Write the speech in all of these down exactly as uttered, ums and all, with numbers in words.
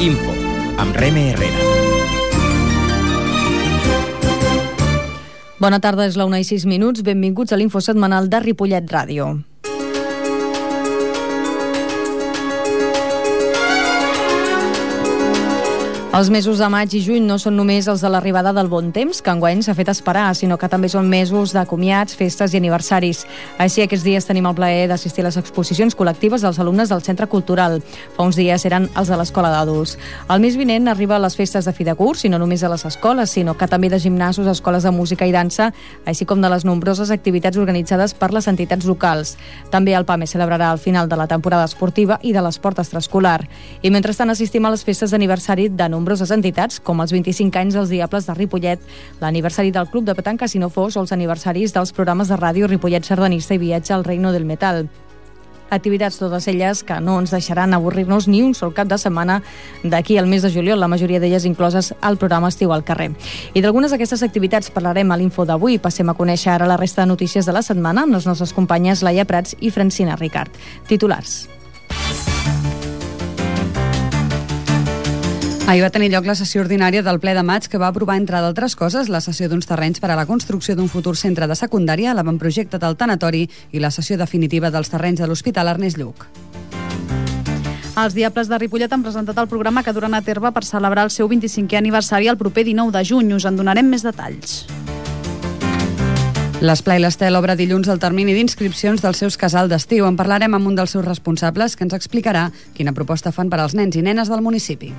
Info, amb Reme Herrera. Bona tarda, és la una i sis minuts. Benvinguts a l'Info setmanal de Ripollet Ràdio. Els mesos de maig i juny no són només els de l'arribada del bon temps, que enguany s'ha fet esperar, sinó que també són mesos de comiats, festes i aniversaris. Així, aquests dies tenim el plaer d'assistir a les exposicions col·lectives dels alumnes del Centre Cultural. Fa uns dies eren els de l'Escola d'Adults. El mes vinent arriba a les festes de fi de curs, i no només a les escoles, sinó que també de gimnasos, escoles de música i dansa, així com de les nombroses activitats organitzades per les entitats locals. També el PAME celebrarà el final de la temporada esportiva i de l'esport extraescolar. I mentrestant assistim a les festes d'aniversari de nombroses entitats, com els vint-i-cinc anys dels Diables de Ripollet, l'aniversari del Club de Petanca Si no fos o els aniversaris dels programes de ràdio Ripollet Sardanista i Viatge al Reino del Metal. Activitats totes elles que no ens deixaran avorrir-nos ni un sol cap de setmana d'aquí al mes de juliol, la majoria d'elles incloses al programa Estiu al carrer. I d'algunes d'aquestes activitats parlarem a l'Info d'avui. Passem a conèixer ara la resta de notícies de la setmana amb les nostres companyes Laia Prats i Francina Ricard. Titulars. Ahir va tenir lloc la sessió ordinària del ple de maig que va aprovar, entre d'altres coses, la cessió d'uns terrenys per a la construcció d'un futur centre de secundària, l'avantprojecte del tanatori i la cessió definitiva dels terrenys de l'Hospital Ernest Lluch. Els Diables de Ripollet han presentat el programa que duran a terme per celebrar el seu vint-i-cinquè aniversari el proper dinou de juny. Us en donarem més detalls. L'Esplai l'Estel obre dilluns el termini d'inscripcions dels seus casals d'estiu. En parlarem amb un dels seus responsables que ens explicarà quina proposta fan per als nens i nenes del municipi.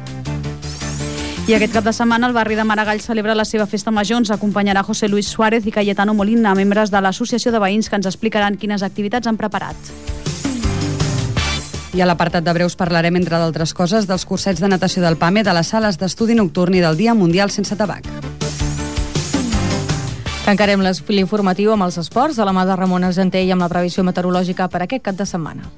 I aquest cap de setmana el barri de Maragall celebra la seva festa major. Ens acompanyarà José Luis Suárez i Cayetano Molina, membres de l'Associació de Veïns, que ens explicaran quines activitats han preparat. I a l'apartat de breus parlarem, entre d'altres coses, dels cursets de natació del PAME, de les sales d'estudi nocturn i del Dia Mundial sense tabac. Tancarem l'informatiu amb els esports de la mà de Ramon Argenter i amb la previsió meteorològica per aquest cap de setmana.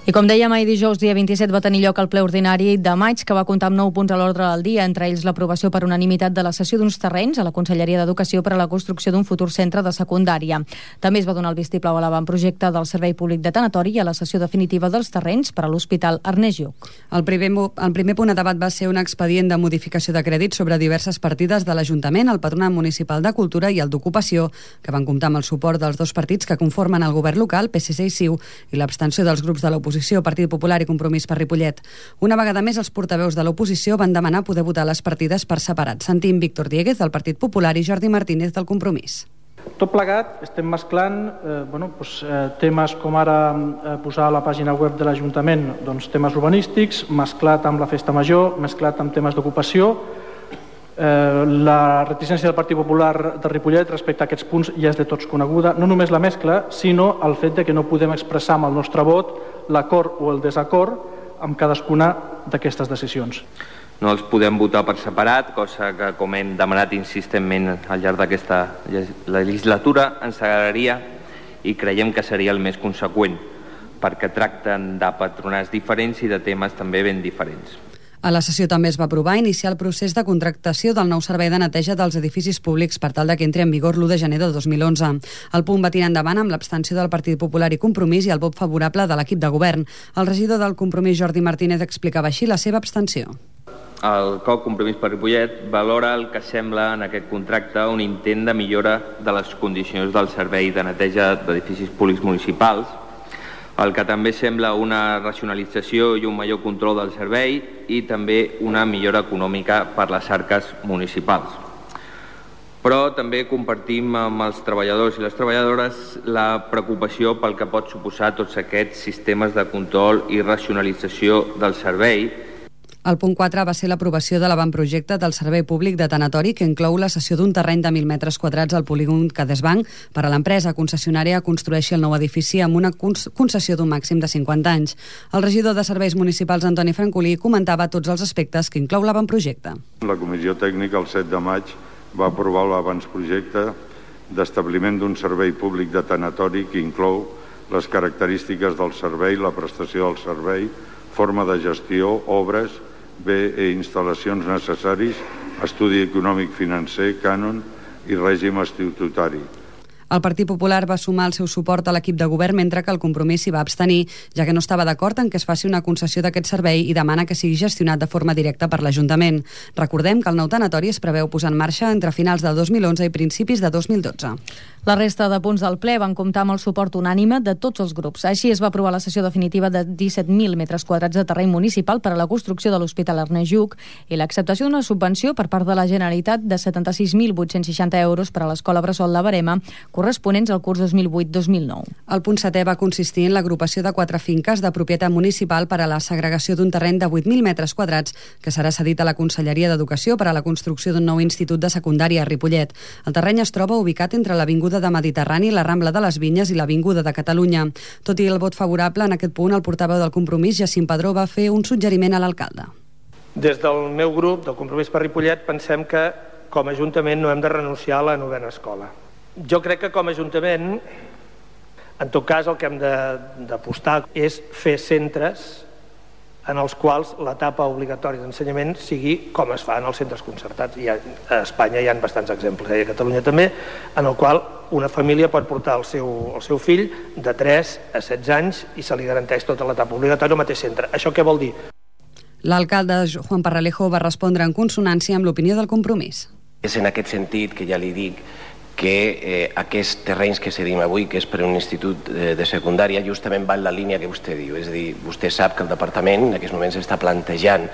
I com dèiem, ahir dijous, dia vint-i-set, va tenir lloc el ple ordinari de maig, que va comptar amb nou punts a l'ordre del dia, entre ells l'aprovació per unanimitat de la cessió d'uns terrenys a la Conselleria d'Educació per a la construcció d'un futur centre de secundària. També es va donar el vistiplau a l'avantprojecte del Servei Públic de Tanatori i a la cessió definitiva dels terrenys per a l'Hospital Ernest Lluch. El primer, el primer punt a debat va ser un expedient de modificació de crèdit sobre diverses partides de l'Ajuntament, el Patronat Municipal de Cultura i el d'Ocupació, que van comptar amb el suport dels dos partits que conformen el govern local, P S C i C I U, i l'abstenció dels grups de l'oposició, Partit Popular i Compromís per Ripollet. Una vegada més, els portaveus de l'oposició van demanar poder votar les partides per separat. Sentim Víctor Dieguez, del Partit Popular, i Jordi Martínez, del Compromís. Tot plegat estem mesclant eh, bueno, doncs, eh, temes com ara eh, posar a la pàgina web de l'Ajuntament doncs, temes urbanístics, mesclat amb la festa major, mesclat amb temes d'ocupació. Eh, la reticència del Partit Popular de Ripollet respecte a aquests punts ja és de tots coneguda. No només la mescla, sinó el fet de que no podem expressar amb el nostre vot l'acord o el desacord amb cadascuna d'aquestes decisions. No els podem votar per separat, cosa que, com hem demanat insistentment al llarg d'aquesta legislatura, ens agradaria i creiem que seria el més conseqüent, perquè tracten de patronats diferents i de temes també ben diferents. A la sessió també es va aprovar iniciar el procés de contractació del nou servei de neteja dels edificis públics per tal de que entri en vigor l'u de gener de dos mil onze. El punt va tirar endavant amb l'abstenció del Partit Popular i Compromís i el vot favorable de l'equip de govern. El regidor del Compromís, Jordi Martínez, explicava així la seva abstenció. El C O C Compromís per Ripollet valora el que sembla en aquest contracte un intent de millora de les condicions del servei de neteja d'edificis públics municipals, el que també sembla una racionalització i un major control del servei i també una millora econòmica per les arques municipals. Però també compartim amb els treballadors i les treballadores la preocupació pel que pot suposar tots aquests sistemes de control i racionalització del servei. El punt quatre va ser l'aprovació de l'avantprojecte del Servei Públic de Tanatori, que inclou la cessió d'un terreny de mil metres quadrats al polígon Cadesbanc per a l'empresa concessionària que construeixi el nou edifici amb una concessió d'un màxim de cinquanta anys. El regidor de Serveis Municipals, Antoni Francolí, comentava tots els aspectes que inclou l'avantprojecte. La Comissió Tècnica el set de maig va aprovar l'avantprojecte d'establiment d'un servei públic de tanatori que inclou les característiques del servei, la prestació del servei, forma de gestió, obres, bé i instal·lacions necessaris, estudi econòmic financer, cànon i règim estatutari. El Partit Popular va sumar el seu suport a l'equip de govern, mentre que el Compromís s'hi va abstenir, ja que no estava d'acord en que es faci una concessió d'aquest servei i demana que sigui gestionat de forma directa per l'Ajuntament. Recordem que el nou tanatori es preveu posar en marxa entre finals del dos mil onze i principis de dos mil dotze. La resta de punts del ple van comptar amb el suport unànime de tots els grups. Així es va aprovar la cessió definitiva de disset mil metres quadrats de terreny municipal per a la construcció de l'Hospital Ernest Lluch i l'acceptació d'una subvenció per part de la Generalitat de setanta-sis mil vuit-cents seixanta euros per a l'Escola Bressol de Verema, corresponents al curs dos mil vuit dos mil nou. El punt setè va consistir en l'agrupació de quatre finques de propietat municipal per a la segregació d'un terreny de vuit mil metres quadrats que serà cedit a la Conselleria d'Educació per a la construcció d'un nou institut de secundària a Ripollet. El terreny es troba ubicat entre l'Avinguda de Mediterrani, la Rambla de les Vinyes i l'Avinguda de Catalunya. Tot i el vot favorable, en aquest punt el portaveu del Compromís, Jacint Padró, va fer un suggeriment a l'alcalde. Des del meu grup, del Compromís per Ripollet, pensem que com a Ajuntament no hem de renunciar a la novena escola. Jo crec que com a Ajuntament, en tot cas, el que hem d'apostar és fer centres en els quals l'etapa obligatòria d'ensenyament sigui com es fa en els centres concertats. I a Espanya hi ha bastants exemples, i a Catalunya també, en el qual una família pot portar el seu, el seu fill de tres a setze anys i se li garanteix tota l'etapa obligatòria al mateix centre. Això què vol dir? L'alcalde Juan Parralejo va respondre en consonància amb l'opinió del Compromís. És en aquest sentit que ja li dic que eh, aquests terrenys que cedim avui, que és per un institut de, de secundària, justament va en la línia que vostè diu. És a dir, vostè sap que el departament en aquests moments està plantejant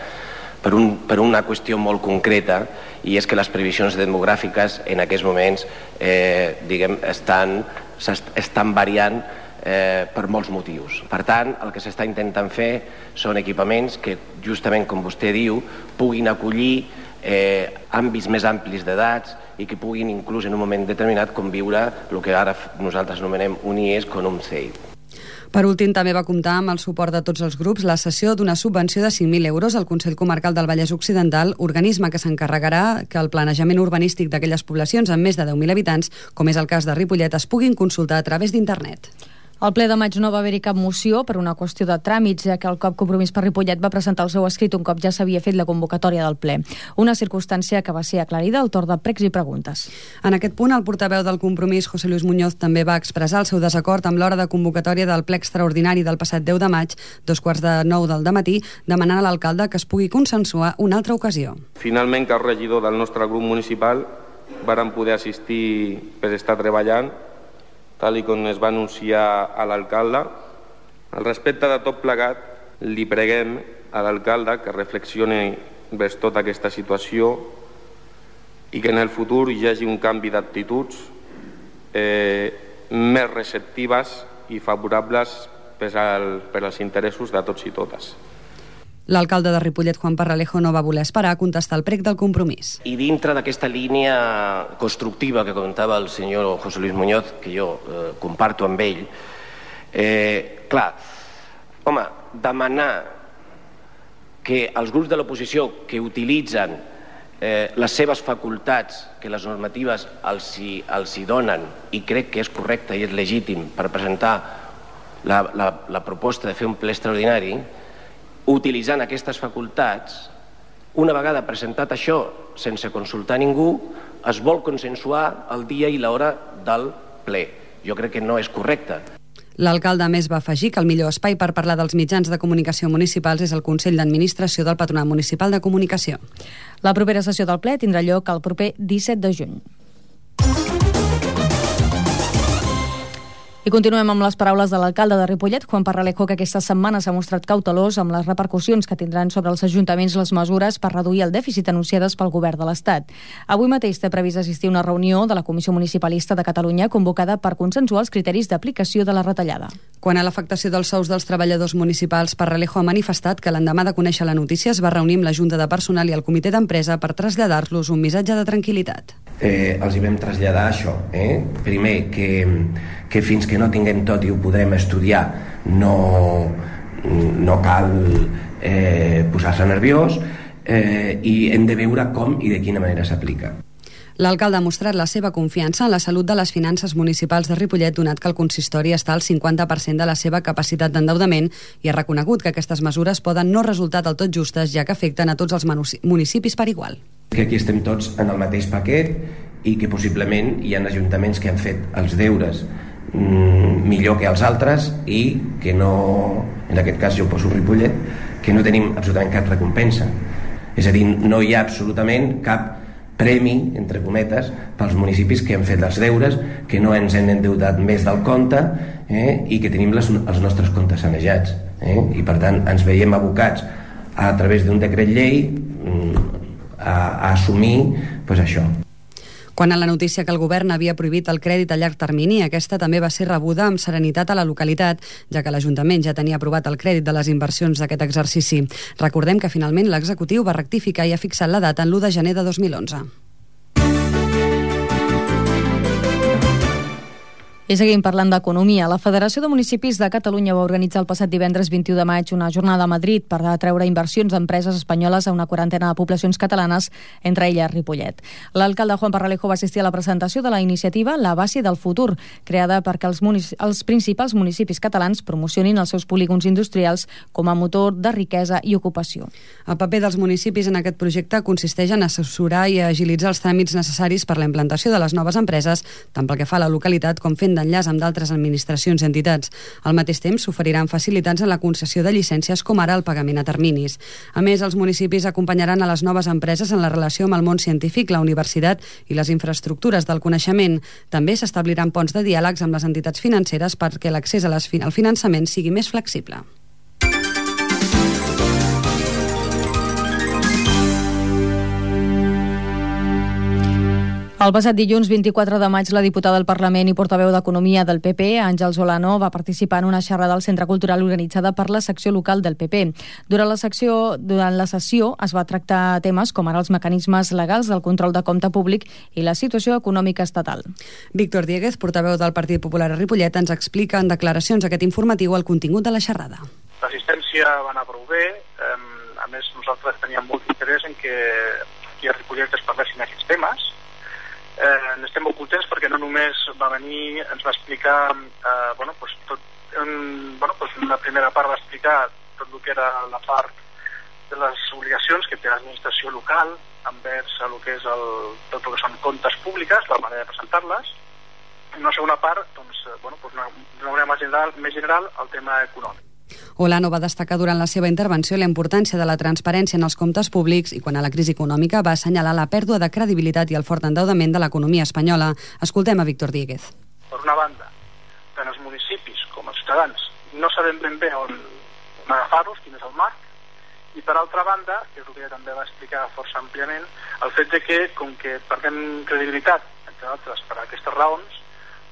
per, un, per una qüestió molt concreta, i és que les previsions demogràfiques en aquests moments eh, diguem, estan, estan variant eh, per molts motius. Per tant, el que s'està intentant fer són equipaments que, justament com vostè diu, puguin acollir eh, àmbits més amplis d'edats i que puguin inclús en un moment determinat conviure el que ara nosaltres anomenem un I E S con un C E I. Per últim, també va comptar amb el suport de tots els grups la cessió d'una subvenció de cinc mil euros al Consell Comarcal del Vallès Occidental, organisme que s'encarregarà que el planejament urbanístic d'aquelles poblacions amb més de deu mil habitants, com és el cas de Ripollet, es puguin consultar a través d'internet. Al ple de maig no va haver-hi cap moció per una qüestió de tràmits, ja que el COP Compromís per Ripollet va presentar el seu escrit un cop ja s'havia fet la convocatòria del ple. Una circumstància que va ser aclarida al torn de pregs i preguntes. En aquest punt, el portaveu del Compromís, José Luis Muñoz, també va expressar el seu desacord amb l'hora de convocatòria del ple extraordinari del passat deu de maig, dos quarts de nou del dematí, demanant a l'alcalde que es pugui consensuar una altra ocasió. Finalment, que el regidor del nostre grup municipal varen poder assistir per estar treballant, tal i com es va anunciar a l'alcalde. Al respecte de tot plegat, li preguem a l'alcalde que reflexioni vers tota aquesta situació i que en el futur hi hagi un canvi d'actituds eh, més receptives i favorables per, al, per als interessos de tots i totes. L'alcalde de Ripollet, Juan Parralejo, no va voler esperar a contestar el prec del Compromís. I dintre d'aquesta línia constructiva que comentava el senyor José Luis Muñoz, que jo eh, comparto amb ell, eh, clar, home, demanar que els grups de l'oposició que utilitzen eh, les seves facultats que les normatives els hi, els hi donen, i crec que és correcte i és legítim per presentar la, la, la proposta de fer un ple extraordinari, utilitzant aquestes facultats, una vegada presentat això sense consultar ningú, es vol consensuar el dia i l'hora del ple. Jo crec que no és correcte. L'alcalde, a més, va afegir que el millor espai per parlar dels mitjans de comunicació municipals és el Consell d'Administració del Patronat Municipal de Comunicació. La propera sessió del ple tindrà lloc el proper disset de juny. I continuem amb les paraules de l'alcalde de Ripollet, Juan Parralejo, que aquesta setmana s'ha mostrat cautelós amb les repercussions que tindran sobre els ajuntaments les mesures per reduir el dèficit anunciades pel govern de l'Estat. Avui mateix té previst assistir a una reunió de la Comissió Municipalista de Catalunya convocada per consensuar els criteris d'aplicació de la retallada. Quan a l'afectació dels sous dels treballadors municipals, Parralejo ha manifestat que l'endemà de conèixer la notícia es va reunir amb la Junta de Personal i el Comitè d'Empresa per traslladar-los un missatge de tranquil·litat. Eh, els hi vam traslladar això, eh? Primer, que, que fins que no tinguem tot i ho podrem estudiar, no, no cal eh, posar-se nerviós, eh, i hem de veure com i de quina manera s'aplica. L'alcalde ha mostrat la seva confiança en la salut de les finances municipals de Ripollet, donat que el consistori està al cinquanta per cent de la seva capacitat d'endeudament, i ha reconegut que aquestes mesures poden no resultar del tot justes, ja que afecten a tots els municipis per igual. Que aquí estem tots en el mateix paquet i que possiblement hi ha ajuntaments que han fet els deures mm, millor que els altres i que no, en aquest cas jo poso Ripollet, que no tenim absolutament cap recompensa. És a dir, no hi ha absolutament cap premi, entre cometes, pels municipis que han fet els deures, que no ens hem endeutat més del compte eh, i que tenim les, els nostres comptes sanejats. Eh? I per tant ens veiem abocats a través d'un decret llei a, a assumir pues, això. Quan a la notícia que el govern havia prohibit el crèdit a llarg termini, aquesta també va ser rebuda amb serenitat a la localitat, ja que l'Ajuntament ja tenia aprovat el crèdit de les inversions d'aquest exercici. Recordem que finalment l'executiu va rectificar i ha fixat la data en l'u de gener de dos mil onze. I seguim parlant d'economia. La Federació de Municipis de Catalunya va organitzar el passat divendres vint-i-u de maig una jornada a Madrid per atreure inversions d'empreses espanyoles a una quarantena de poblacions catalanes, entre elles Ripollet. L'alcalde Juan Parralejo va assistir a la presentació de la iniciativa La Base del Futur, creada perquè els, els principals municipis catalans promocionin els seus polígons industrials com a motor de riquesa i ocupació. El paper dels municipis en aquest projecte consisteix en assessorar i agilitzar els tràmits necessaris per la implantació de les noves empreses, tant pel que fa a la localitat com fent d'enllaç amb d'altres administracions i entitats. Al mateix temps, s'oferiran facilitats en la concessió de llicències, com ara el pagament a terminis. A més, els municipis acompanyaran a les noves empreses en la relació amb el món científic, la universitat i les infraestructures del coneixement. També s'establiran ponts de diàlegs amb les entitats financeres perquè l'accés al finançament sigui més flexible. El passat dilluns vint-i-quatre de maig, la diputada del Parlament i portaveu d'Economia del P P, Àngels Olano, va participar en una xerrada al Centre Cultural organitzada per la secció local del P P. Durant la, secció, durant la sessió es va tractar temes com ara els mecanismes legals del control de compte públic i la situació econòmica estatal. Víctor Dieguez, portaveu del Partit Popular a Ripollet, ens explica en declaracions aquest informatiu el contingut de la xerrada. L'assistència va anar prou bé. A més, nosaltres teníem molt interès en que aquí a Ripollet es parlessin aquests temes. Eh, n'estem molt contents perquè no només va venir, ens va explicar eh, bueno, pues tot, en, bueno, pues en la primera part va explicar tot el que era la part de les obligacions que té l'administració local envers el que és el, tot el que són comptes públiques, la manera de presentar-les. En una segona part, doncs, bueno, pues d'una manera més general, més general, el tema econòmic. Olano va destacar durant la seva intervenció la importància de la transparència en els comptes públics i quan a la crisi econòmica va assenyalar la pèrdua de credibilitat i el fort endeudament de l'economia espanyola. Escoltem a Víctor Dieguez. Per una banda, tant els municipis com els ciutadans no sabem ben bé on agafar-los, quin és el marc, i per altra banda, que és el que també va explicar força àmpliament, el fet de que, com que perdem credibilitat, entre altres, per aquestes raons,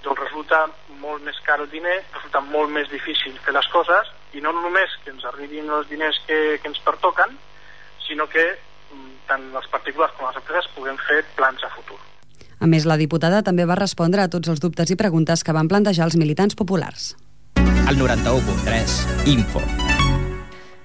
doncs resulta molt més car el diner, resulta molt més difícil fer les coses, i no només que ens arribin els diners que, que ens pertoquen, sinó que tant els particulars com les empreses puguem fer plans a futur. A més, la diputada també va respondre a tots els dubtes i preguntes que van plantejar els militants populars. El noranta-u punt tres, Info.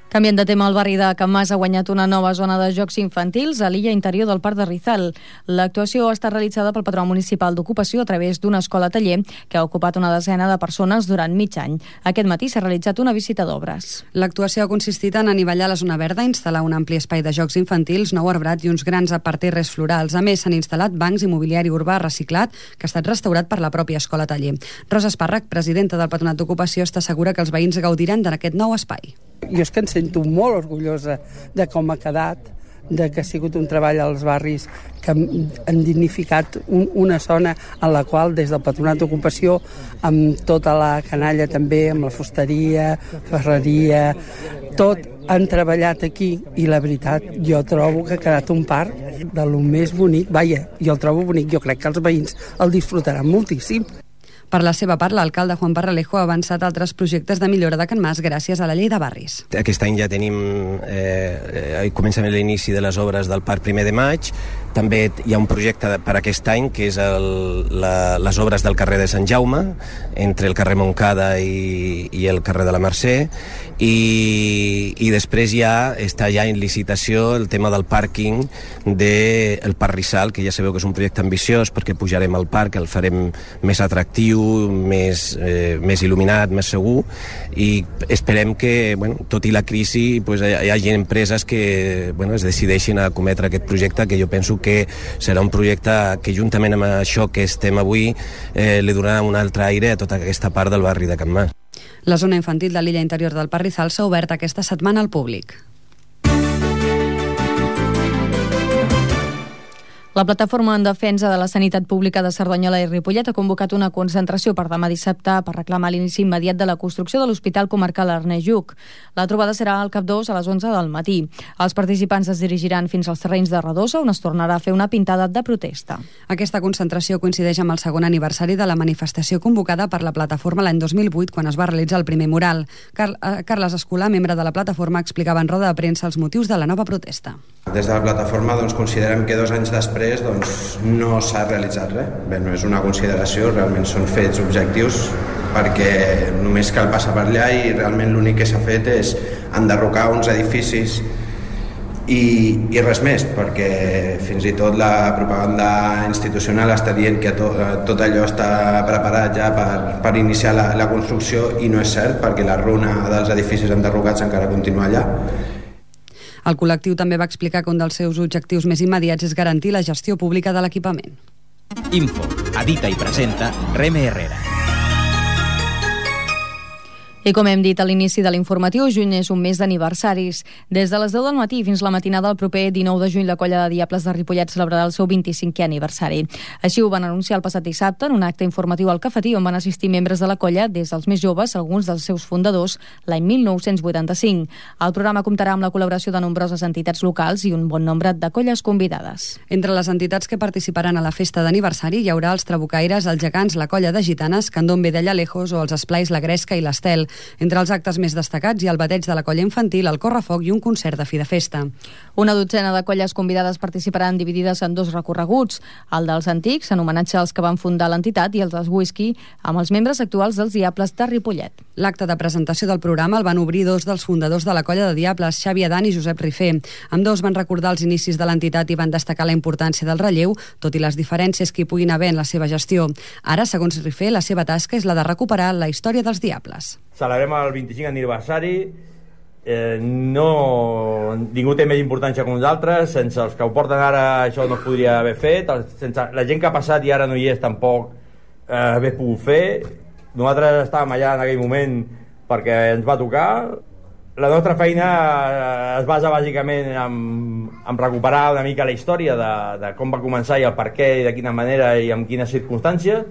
Canviant de tema, el barri de Can Mas ha guanyat una nova zona de jocs infantils a l'illa interior del Parc de Rizal. L'actuació ha estat realitzada pel Patronat Municipal d'Ocupació a través d'una escola-taller que ha ocupat una desena de persones durant mig any. Aquest matí s'ha realitzat una visita d'obres. L'actuació ha consistit en anivellar la zona verda, instal·lar un ampli espai de jocs infantils, nou arbrat i uns grans parterres florals. A més, s'han instal·lat bancs i mobiliari urbà reciclat que ha estat restaurat per la pròpia escola-taller. Rosa Espàrrec, presidenta del Patronat d'Ocupació, està segura que els veïns gaudiran d'aquest nou espai. Jo és que em sento molt orgullosa de com ha quedat, de que ha sigut un treball als barris que han dignificat un, una zona en la qual des del Patronat d'Ocupació, amb tota la canalla també, amb la fusteria, ferreria, tot han treballat aquí i la veritat jo trobo que ha quedat un parc de lo més bonic. Vaja, jo el trobo bonic, jo crec que els veïns el disfrutaran moltíssim. Per la seva part, l'alcalde Juan Parralejo ha avançat altres projectes de millora de Can Mas gràcies a la llei de barris. Aquest any ja tenim, eh, eh, comencem l'inici de les obres del Parc Primer de Maig. També hi ha un projecte per aquest any que és el, la, les obres del carrer de Sant Jaume, entre el carrer Montcada i, i el carrer de la Mercè, i, i després ja està ja en licitació el tema del pàrquing del Parc Rizal, que ja sabeu que és un projecte ambiciós perquè pujarem al parc, el farem més atractiu, més, eh, més il·luminat, més segur, i esperem que, bueno, tot i la crisi, pues, hi hagi empreses que, bueno, es decideixin a cometre aquest projecte, que jo penso penso que serà un projecte que juntament amb això que estem avui eh, li donarà un altre aire a tota aquesta part del barri de Can Mas. La zona infantil de l'illa interior del Parrizal s'ha obert aquesta setmana al públic. La Plataforma en Defensa de la Sanitat Pública de Cerdanyola i Ripollet ha convocat una concentració per demà dissabte per reclamar l'inici immediat de la construcció de l'Hospital Comarcal Ernest Lluch. La trobada serà al cap dos a les onze del matí. Els participants es dirigiran fins als terrenys de Redosa, on es tornarà a fer una pintada de protesta. Aquesta concentració coincideix amb el segon aniversari de la manifestació convocada per la Plataforma l'any dos mil vuit, quan es va realitzar el primer mural. Car Carles Escolà, membre de la Plataforma, explicava en roda de premsa els motius de la nova protesta. Des de la Plataforma doncs, considerem que dos anys després doncs, no s'ha realitzat res. Bé, no és una consideració, realment són fets objectius, perquè només cal passar per allà i realment l'únic que s'ha fet és enderrocar uns edificis i, i res més, perquè fins i tot la propaganda institucional està dient que to, tot allò està preparat ja per, per iniciar la, la construcció, i no és cert, perquè la runa dels edificis enderrocats encara continua allà. El col·lectiu també va explicar que un dels seus objectius més immediats és garantir la gestió pública de l'equipament. Info, edita i presenta Reme Herrera. I com hem dit a l'inici de l'informatiu, juny és un mes d'aniversaris. Des de les deu del matí fins la matinada del proper dinou de juny, la Colla de Diables de Ripollet celebrarà el seu vint-i-cinquè aniversari. Així ho van anunciar el passat dissabte en un acte informatiu al Cafetí, on van assistir membres de la colla, des dels més joves, alguns dels seus fundadors, l'any mil nou-cents vuitanta-cinc. El programa comptarà amb la col·laboració de nombroses entitats locals i un bon nombre de colles convidades. Entre les entitats que participaran a la festa d'aniversari hi haurà els Trabucaires, els Gegants, la Colla de Gitanes, Candombe de Llalejos o els Esplais La Gresca i l'Estel. Entre els actes més destacats hi ha el bateig de la colla infantil, el correfoc i un concert de fi de festa. Una dotzena de colles convidades participaran dividides en dos recorreguts, el dels antics, en homenatge als que van fundar l'entitat, i el dels whisky, amb els membres actuals dels Diables de Ripollet. L'acte de presentació del programa el van obrir dos dels fundadors de la Colla de Diables, Xavi Adan i Josep Rifé. Ambdós van recordar els inicis de l'entitat i van destacar la importància del relleu, tot i les diferències que hi puguin haver en la seva gestió. Ara, segons Rifé, la seva tasca és la de recuperar la història dels Diables. Celebrem el vint-i-cinc aniversari, eh, no, ningú té més importància que nosaltres, sense els que ho porten ara això no es podria haver fet, sense la gent que ha passat i ara no hi és tampoc eh, haver pogut fer. Nosaltres estàvem allà en aquell moment perquè ens va tocar. La nostra feina es basa bàsicament en, en recuperar una mica la història de, de com va començar i el per què i de quina manera i en quines circumstàncies,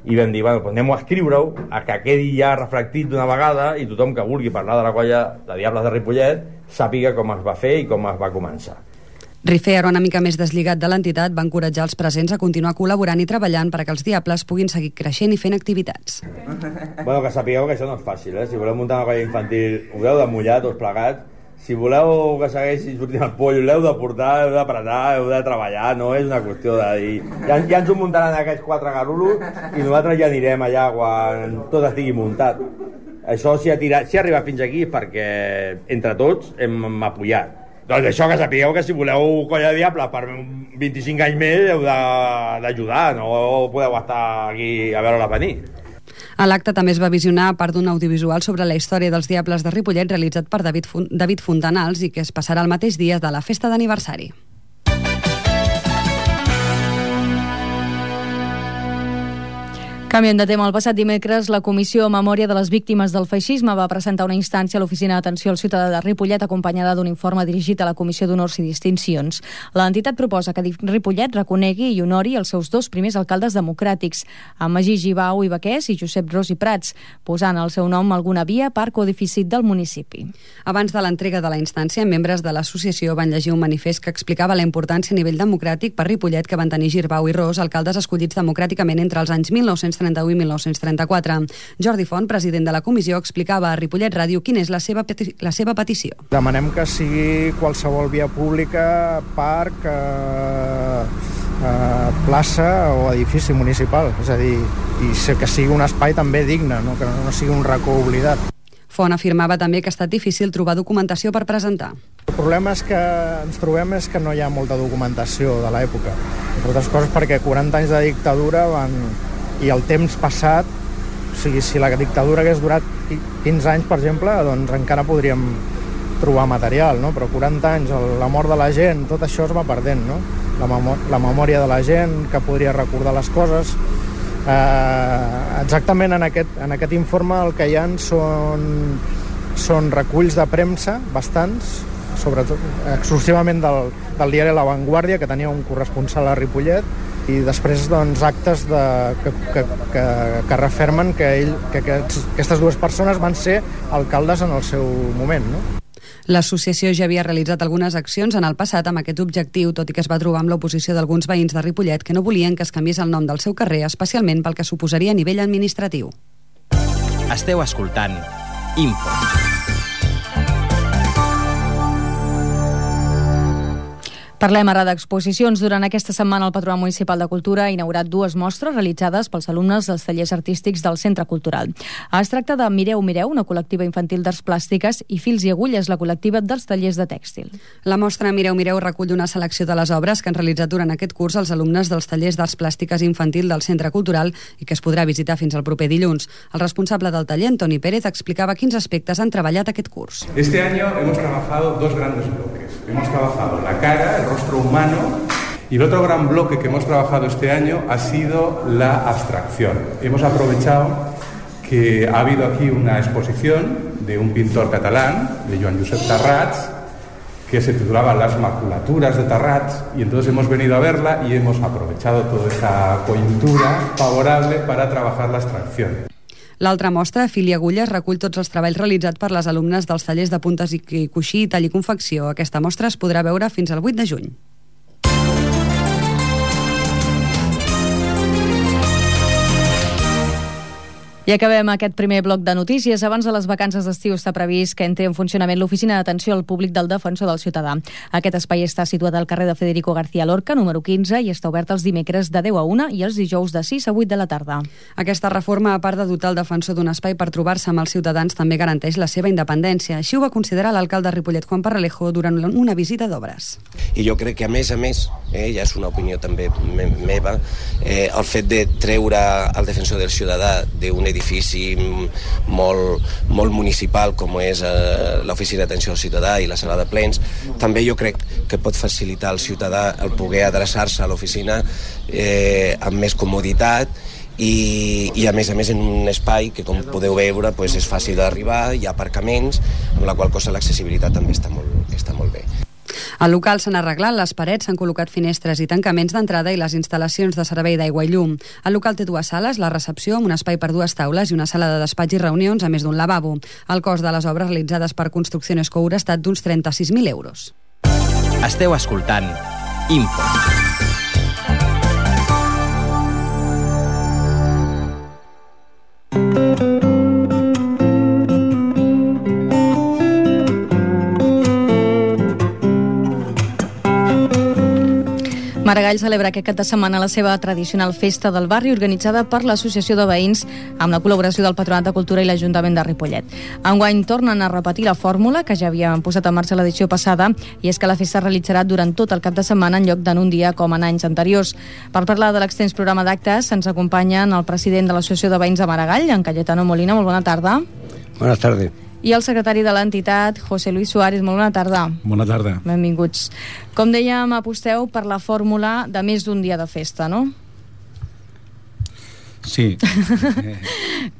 i vam dir, bueno, doncs anem a escriure-ho, a que quedi ja reflectit d'una vegada i tothom que vulgui parlar de la Colla de Diables de Ripollet sàpiga com es va fer i com es va començar. Rifé, ara una mica més deslligat de l'entitat, va encoratjar els presents a continuar col·laborant i treballant perquè els Diables puguin seguir creixent i fent activitats. Bueno, que sapigueu que això no és fàcil, eh? Si voleu muntar una colla infantil, ho heu de mullar tots plegats. Si voleu que segueixi sortint el pollo, l'heu de portar, heu d'apretar, heu de treballar, no és una qüestió de dir... Ja, ja ens ho muntaran aquests quatre garulos i nosaltres ja anirem allà quan tot estigui muntat. Això, si ha, tirat, si ha arribat fins aquí, és perquè entre tots hem apoyat. Doncs això, que sapigueu que si voleu Colla de Diables per vint-i-cinc anys més heu d'ajudar, no podeu estar aquí a veure-la venir. A l'acte també es va visionar part d'un audiovisual sobre la història dels Diables de Ripollet realitzat per David, Fun David Fontanals i que es passarà el mateix dia de la festa d'aniversari. Canviem de tema. El passat dimecres, la Comissió Memòria de les Víctimes del Feixisme va presentar una instància a l'Oficina d'Atenció al Ciutadà de Ripollet acompanyada d'un informe dirigit a la Comissió d'Honors i Distincions. L'entitat proposa que Ripollet reconegui i honori els seus dos primers alcaldes democràtics, amb Magí Gibau i Baquès i Josep Ros i Prats, posant al seu nom alguna via, parc o edifici del municipi. Abans de l'entrega de la instància, membres de l'associació van llegir un manifest que explicava la importància a nivell democràtic per Ripollet que van tenir Girbau i Ros, alcaldes escollits democràticament entre els anys mil nou-cents trenta-u i mil nou-cents trenta-quatre. Jordi Font, president de la comissió, explicava a Ripollet Ràdio quina és la seva, la seva petició. Demanem que sigui qualsevol via pública, parc, eh, eh, plaça o edifici municipal, és a dir, i que sigui un espai també digne, no? Que no sigui un racó oblidat. Font afirmava també que ha estat difícil trobar documentació per presentar. El problema és que ens trobem és que no hi ha molta documentació de l'època, entre altres coses perquè quaranta anys de dictadura van... i el temps passat, o sigui, si la dictadura hagués durat quinze anys, per exemple, doncs encara podríem trobar material, no? Però quaranta anys, la mort de la gent, tot això es va perdent, no? La, memò la memòria de la gent, que podria recordar les coses. Eh, exactament en aquest, en aquest informe el que hi ha són, són reculls de premsa, bastants, sobretot exclusivament del, del diari La Vanguardia, que tenia un corresponsal a Ripollet, i després doncs, actes de, que, que, que, que refermen que, ell, que aquests, aquestes dues persones van ser alcaldes en el seu moment, no? L'associació ja havia realitzat algunes accions en el passat amb aquest objectiu, tot i que es va trobar amb l'oposició d'alguns veïns de Ripollet que no volien que es canviés el nom del seu carrer, especialment pel que suposaria a nivell administratiu. Esteu escoltant Info. Parlem ara d'exposicions. Durant aquesta setmana el Patronat Municipal de Cultura ha inaugurat dues mostres realitzades pels alumnes dels tallers artístics del Centre Cultural. Es tracta de Mireu, Mireu, una col·lectiva infantil d'arts plàstiques, i Fils i Agulles, la col·lectiva dels tallers de tèxtil. La mostra Mireu, Mireu recull una selecció de les obres que han realitzat durant aquest curs els alumnes dels tallers d'arts plàstiques infantil del Centre Cultural i que es podrà visitar fins al proper dilluns. El responsable del taller, Antoni Pérez, explicava quins aspectes han treballat aquest curs. Este año hemos trabajado dos grandes bloques. Hemos trabajado la cara, el rostro humano, y el otro gran bloque que hemos trabajado este año ha sido la abstracción. Hemos aprovechado que ha habido aquí una exposición de un pintor catalán, de Joan Josep Tarrats, que se titulaba Las maculaturas de Tarrats, y entonces hemos venido a verla y hemos aprovechado toda esa coyuntura favorable para trabajar la abstracción. L'altra mostra, Fil i Agulles, recull tots els treballs realitzats per les alumnes dels tallers de puntes i coixí, tall i confecció. Aquesta mostra es podrà veure fins al vuit de juny. I acabem aquest primer bloc de notícies. Abans de les vacances d'estiu està previst que entri en funcionament l'Oficina d'Atenció al Públic del Defensor del Ciutadà. Aquest espai està situat al carrer de Federico García Lorca, número quinze, i està obert els dimecres de deu a una i els dijous de sis a vuit de la tarda. Aquesta reforma, a part de dotar el defensor d'un espai per trobar-se amb els ciutadans, també garanteix la seva independència. Així ho va considerar l'alcalde de Ripollet, Juan Parralejo, durant una visita d'obres. I jo crec que, a més a més, eh, ja és una opinió també me meva, eh, el fet de treure el defensor del ciutadà d'un edifici molt, molt municipal com és eh, l'Oficina d'Atenció al Ciutadà i la sala de plens, també jo crec que pot facilitar al ciutadà el poder adreçar-se a l'oficina eh, amb més comoditat i, i a més a més en un espai que, com podeu veure, pues, és fàcil d'arribar, hi ha aparcaments, amb la qual cosa l'accessibilitat també està molt, està molt bé. Al local s'han arreglat les parets, s'han col·locat finestres i tancaments d'entrada i les instal·lacions de servei d'aigua i llum. El local té dues sales, la recepció amb un espai per dues taules i una sala de despatx i reunions, a més d'un lavabo. El cost de les obres realitzades per Construcció Escour ha estat d'uns trenta-sis mil euros. Esteu escoltant Info. Maragall celebra aquest cap de setmana la seva tradicional festa del barri organitzada per l'Associació de Veïns amb la col·laboració del Patronat de Cultura i l'Ajuntament de Ripollet. Enguany tornen a repetir la fórmula que ja havien posat en marxa l'edició passada, i és que la festa es realitzarà durant tot el cap de setmana en lloc d'en un dia com en anys anteriors. Per parlar de l'extens programa d'actes ens acompanyen el president de l'Associació de Veïns de Maragall, en Cayetano Molina. Molt bona tarda. Bona tarda. I el secretari de l'entitat, José Luis Suárez. Molt bona tarda. Bona tarda. Benvinguts. Com dèiem, aposteu per la fórmula de més d'un dia de festa, no? Sí.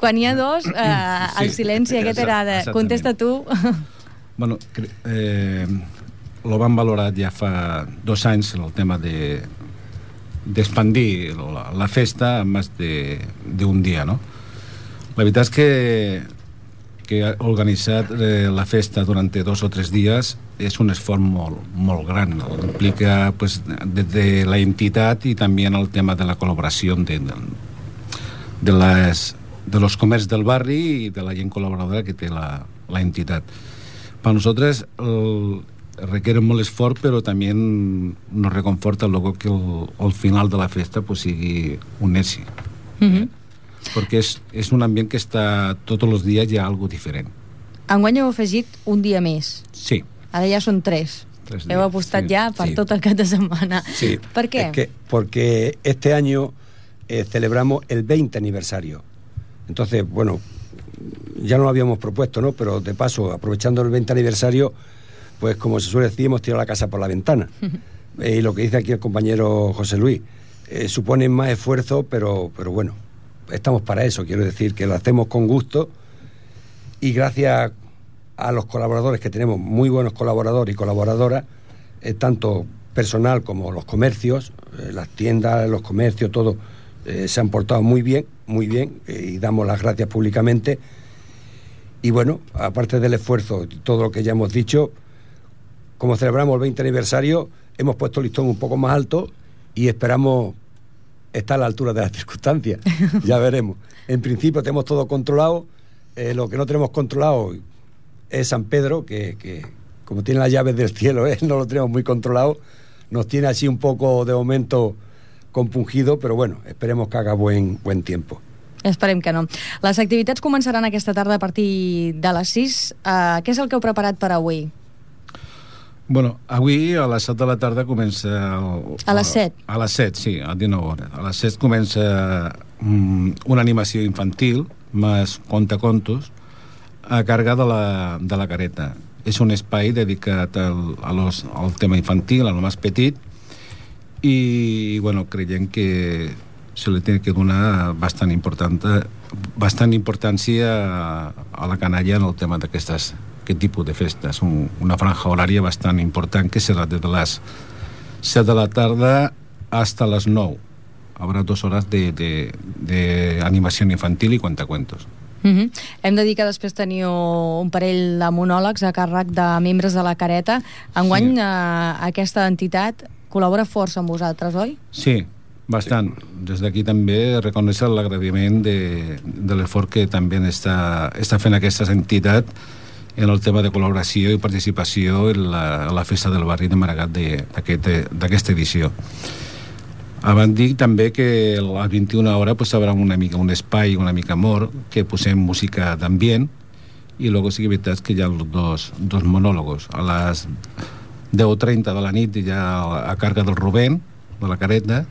Quan hi ha dos, eh, el silenci aquest era de... Contesta tu. Bueno, eh, lo van valorar ja fa dos anys el tema de d'expandir la, la festa a més d'un dia, no? La veritat és que que ha organitzat eh, la festa durant dos o tres dies és un esforç molt, molt gran. Implica pues, des de la entitat i també en el tema de la col·laboració de, de, les, de los comerç del barri i de la gent col·laboradora que té la, la entitat. Per nosaltres el, requiere molt esforç, però també nos reconforta luego que el, el final de la festa pues, sigui un èxit. Mm-hmm. Perquè és, és un ambient que està tots els dies hi ha alguna diferent. Enguany heu afegit un dia més. Sí. Ara ja són tres. tres heu apostat sí, ja per sí. tot el cap de setmana. Sí. ¿Per qué? Es que porque este año eh, celebramos el veinte aniversario. Entonces, bueno, ya no lo habíamos propuesto, ¿no? Pero de paso, aprovechando el veinte aniversario, pues como se suele decir, hemos tirado la casa por la ventana. eh, y lo que dice aquí el compañero José Luis, eh, supone más esfuerzo, pero, pero bueno, estamos para eso. Quiero decir que lo hacemos con gusto y gracias a los colaboradores, que tenemos muy buenos colaboradores y colaboradoras, eh, tanto personal como los comercios, eh, las tiendas, los comercios, todo, eh, se han portado muy bien, muy bien, eh, y damos las gracias públicamente. Y bueno, aparte del esfuerzo y todo lo que ya hemos dicho, como celebramos el veinte aniversario, hemos puesto el listón un poco más alto y esperamos estar a la altura de las circunstancias. Ya veremos. En principio tenemos todo controlado. Eh, lo que no tenemos controlado es San Pedro, que, que como tiene las llaves del cielo, ¿eh? No lo tenemos muy controlado. Nos tiene así un poco de momento compungido, però bueno, esperemos que haga buen, buen tiempo. Esperem que no. Les activitats començaran aquesta tarda a partir de les sis. Uh, què és el que heu preparat per avui? Bueno, avui a les set de la tarda comença... El, a les set? A, a les set, sí, a dinou hores. A les set comença um, una animació infantil, més contacontos, a càrrega de la, de la careta. És un espai dedicat al, a los, al tema infantil, al més petit, i bueno, creiem que se li té que donar bastant, important, bastant importància a, a la canalla en el tema d'aquestes aquest tipus de festes. Un, una franja horària bastant important que serà des de les set de la tarda hasta les nou. Habrá dos hores de, de, de animació infantil i cuentacuentos. Uh-huh. Hem de dir que després teniu un parell de monòlegs a càrrec de membres de la Careta. Enguany, sí. eh, aquesta entitat col·labora força amb vosaltres, oi? Sí, bastant. Des d'aquí també reconèixer l'agraïment de, de l'esforç que també està, està fent aquesta entitat en el tema de col·laboració i participació en la, en la festa del barri de Maragall d'aquesta edició. Abans dic també que a les vint-i-una hores pues, haurà una mica un espai una mica mort, que posem música d'ambient, i luego sí que és veritat que hi ha dos, dos monòlegos. A les deu trenta de la nit ja a càrrega del Rubén, de la Careta,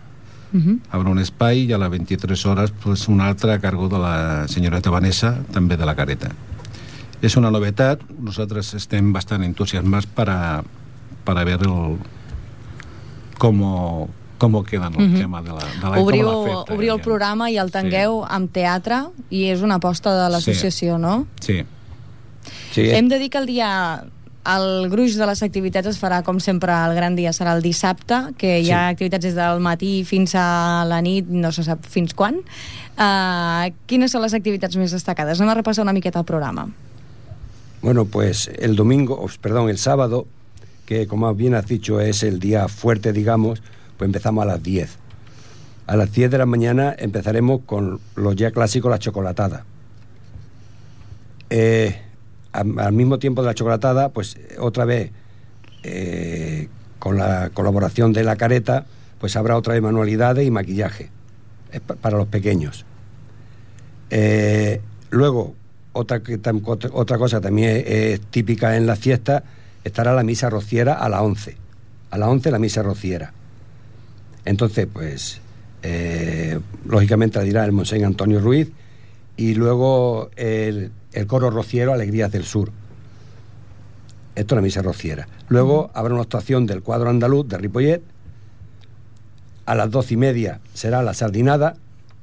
uh-huh. haurà un espai, i a les vint-i-tres hores pues, un altre a càrrec de la senyoreta Vanessa, també de la Careta. És una novetat, nosaltres estem bastant entusiasmats per a, per a veure el, com, com queda el uh-huh. tema de la, de la, obriu, com la festa. Obriu el programa i el tangueu sí. amb teatre, i és una aposta de l'associació, sí. no? Sí. sí. Hem de dir que el dia... El gruix de les activitats es farà, com sempre, el gran dia serà el dissabte, que hi ha sí. activitats des del matí fins a la nit, no se sap fins quan. Uh, quines són les activitats més destacades? Anem a repassar una miqueta el programa. Bueno, pues el domingo, perdón, el sábado, que como bien has dicho es el día fuerte, digamos, pues empezamos a las diez. A las diez de la mañana empezaremos con los ya clásicos, la chocolatada. Eh... al mismo tiempo de la chocolatada, pues otra vez eh, con la colaboración de la Careta, pues habrá otra vez manualidades y maquillaje eh, para los pequeños. Eh, luego, otra, otra cosa también es, es típica en la fiesta, estará la misa rociera a las once. A las once la misa rociera. Entonces, pues, eh, lógicamente la dirá el Monseñor Antonio Ruiz, y luego el... el coro rociero Alegrías del Sur. Esto es la misa rociera. Luego habrá una actuación del cuadro andaluz de Ripollet. A las doce y media será la sardinada,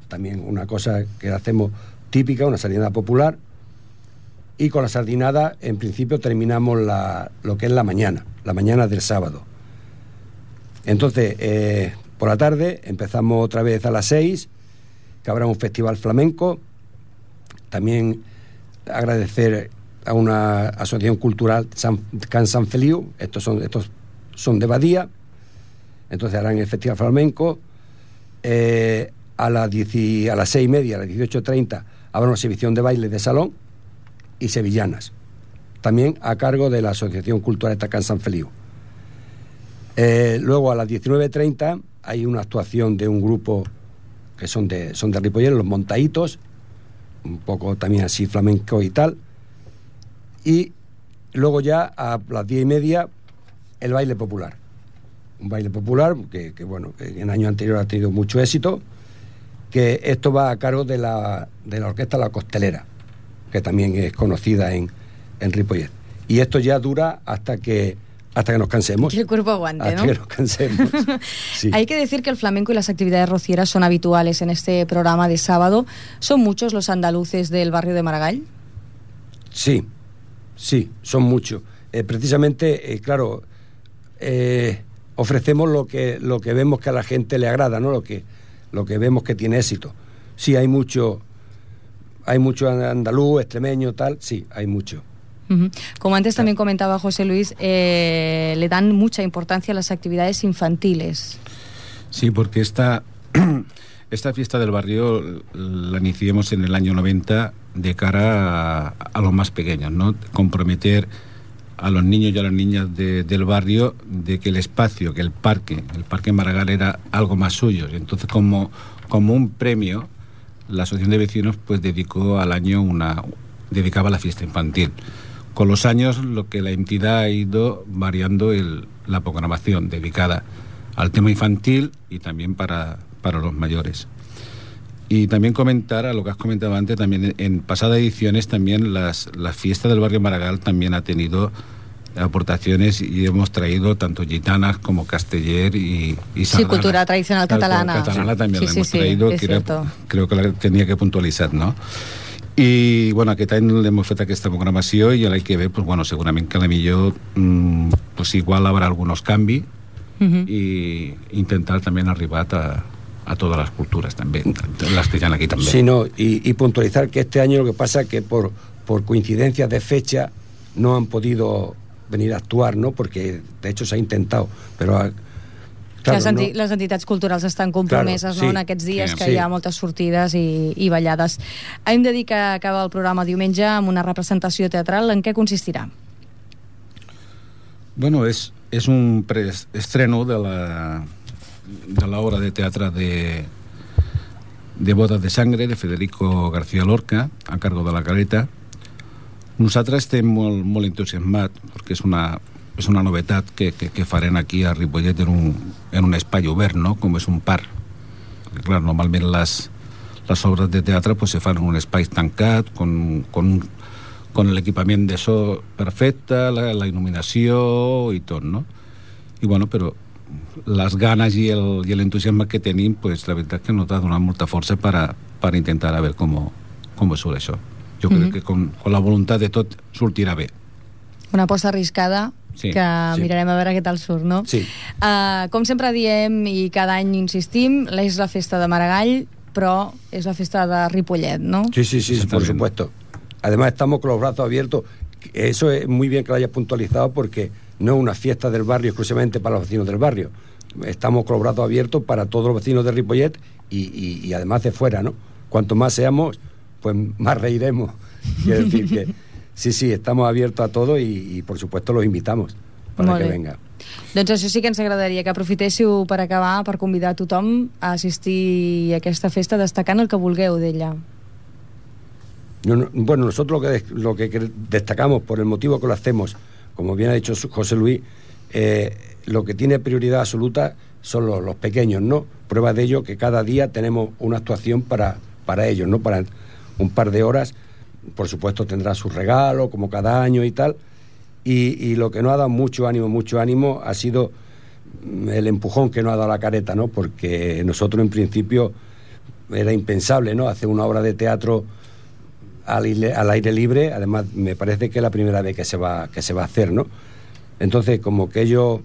también una cosa que hacemos típica, una sardinada popular. Y con la sardinada, en principio, terminamos la, lo que es la mañana, la mañana del sábado. Entonces, eh, por la tarde empezamos otra vez a las seis, que habrá un festival flamenco. También agradecer a una asociación cultural, San, Can San Feliu, estos son, estos son de Badía, entonces harán el festival flamenco. Eh, a las diez, a las seis y media, a las dieciocho treinta habrá una exhibición de baile de salón y sevillanas, también a cargo de la asociación cultural Can San Feliu. Eh, luego a las diecinueve treinta hay una actuación de un grupo que son de, son de Ripollet, los Montaitos, un poco también así flamenco y tal, y luego ya a las diez y media el baile popular, un baile popular que, que bueno, que en años anteriores ha tenido mucho éxito, que esto va a cargo de la, de la orquesta La Costelera, que también es conocida en, en Ripollet. Y esto ya dura hasta que hasta que nos cansemos. Que el cuerpo aguante, hasta ¿no? que nos cansemos. Sí. Hay que decir que el flamenco y las actividades rocieras son habituales en este programa de sábado. ¿Son muchos los andaluces del barrio de Maragall? Sí, sí, son muchos. Eh, precisamente, eh, claro, eh, ofrecemos lo que lo que vemos que a la gente le agrada, ¿no? Lo que lo que vemos que tiene éxito. Sí, hay mucho, hay mucho andaluz, extremeño, tal. Sí, hay mucho. Uh-huh. Como antes también comentaba José Luis, eh, le dan mucha importancia a las actividades infantiles. Sí, porque esta, esta fiesta del barrio la iniciamos en el año noventa de cara a, a los más pequeños, ¿no? Comprometer a los niños y a las niñas de, del barrio de que el espacio, que el parque, el Parque Maragall era algo más suyo. Entonces, como, como un premio, la Asociación de Vecinos pues dedicó al año una... dedicaba a la fiesta infantil. Con los años, lo que la entidad ha ido variando el, la programación dedicada al tema infantil y también para, para los mayores. Y también comentar, a lo que has comentado antes, también en pasadas ediciones también las, la fiesta del barrio Maragall también ha tenido aportaciones y hemos traído tanto gitanas como casteller y, y sí, cultura tradicional catalana. Catalana también sí, la sí, hemos sí, traído, que era, creo que la tenía que puntualitzar, no? I, bueno, aquest any hem fet aquesta programació i l'any que ve, pues, bueno, segurament que a la millor mmm, pues, igual habrá algunos canvis uh-huh. i intentar també arribar a, a todas las culturas también, las que están aquí también. Sí, no, y, y puntualizar que este año lo que pasa es que por, por coincidencias de fecha no han podido venir a actuar, ¿no? Porque de hecho se ha intentado, pero... A, Claro, les, enti no. les entitats culturals estan compromeses, claro, sí, no, en aquests dies sí, que sí. hi ha moltes sortides i, i ballades. Hem de dir que acaba el programa diumenge amb una representació teatral. En què consistirà? Bueno, és, és un preestreno de la, de la obra de teatre de, de Bodas de Sangre, de Federico García Lorca, a cargo de la Caleta. Nosaltres estem molt, molt entusiasmats, perquè és una... és una novetat que, que, que farem aquí a Ripollet en un, en un espai obert, no? Com és un parc. Perquè, clar, normalment les, les obres de teatre pues, se fan en un espai tancat, con, con, con l'equipament de so perfecte, la, la il·luminació i tot, no? I bueno, però les ganes i l'entusiasme que tenim, pues, la veritat que nos ha donat molta força para, para intentar a ver com, com surt això. Jo mm-hmm. crec que con, con la voluntat de tot sortirà bé. Una aposta arriscada, sí, que sí. mirarem a veure què tal surt, no? Sí. Uh, com sempre diem i cada any insistim, és la festa de Maragall, però és la festa de Ripollet, ¿no? Sí, sí, sí, por supuesto. Además estamos con los brazos abiertos. Eso es muy bien que lo hayas puntualizado porque no es una fiesta del barrio exclusivamente para los vecinos del barrio. Estamos con los brazos abiertos para todos los vecinos de Ripollet y, y, y además de fuera, ¿no? Cuanto más seamos, pues más reiremos. Quiero decir que sí, sí, estamos abiertos a todo i, i por supuesto los invitamos para que venga. Doncs això sí que ens agradaria que aprofitéssiu per acabar, per convidar a tothom a assistir a aquesta festa destacant el que vulgueu d'ella. No, no, bueno, nosotros lo que, lo que destacamos por el motivo que lo hacemos, como bien ha dicho José Luis, eh, lo que tiene prioridad absoluta son los, los pequeños, ¿no? Prueba de ello que cada día tenemos una actuación para, para ellos, ¿no? Para un par de horas. Por supuesto tendrá su regalo como cada año y tal y, y lo que nos ha dado mucho ánimo mucho ánimo ha sido el empujón que nos ha dado la Careta, ¿no? Porque nosotros en principio era impensable, ¿no? Hacer una obra de teatro al aire, al aire libre. Además me parece que es la primera vez que se va, que se va a hacer, ¿no? Entonces como que ellos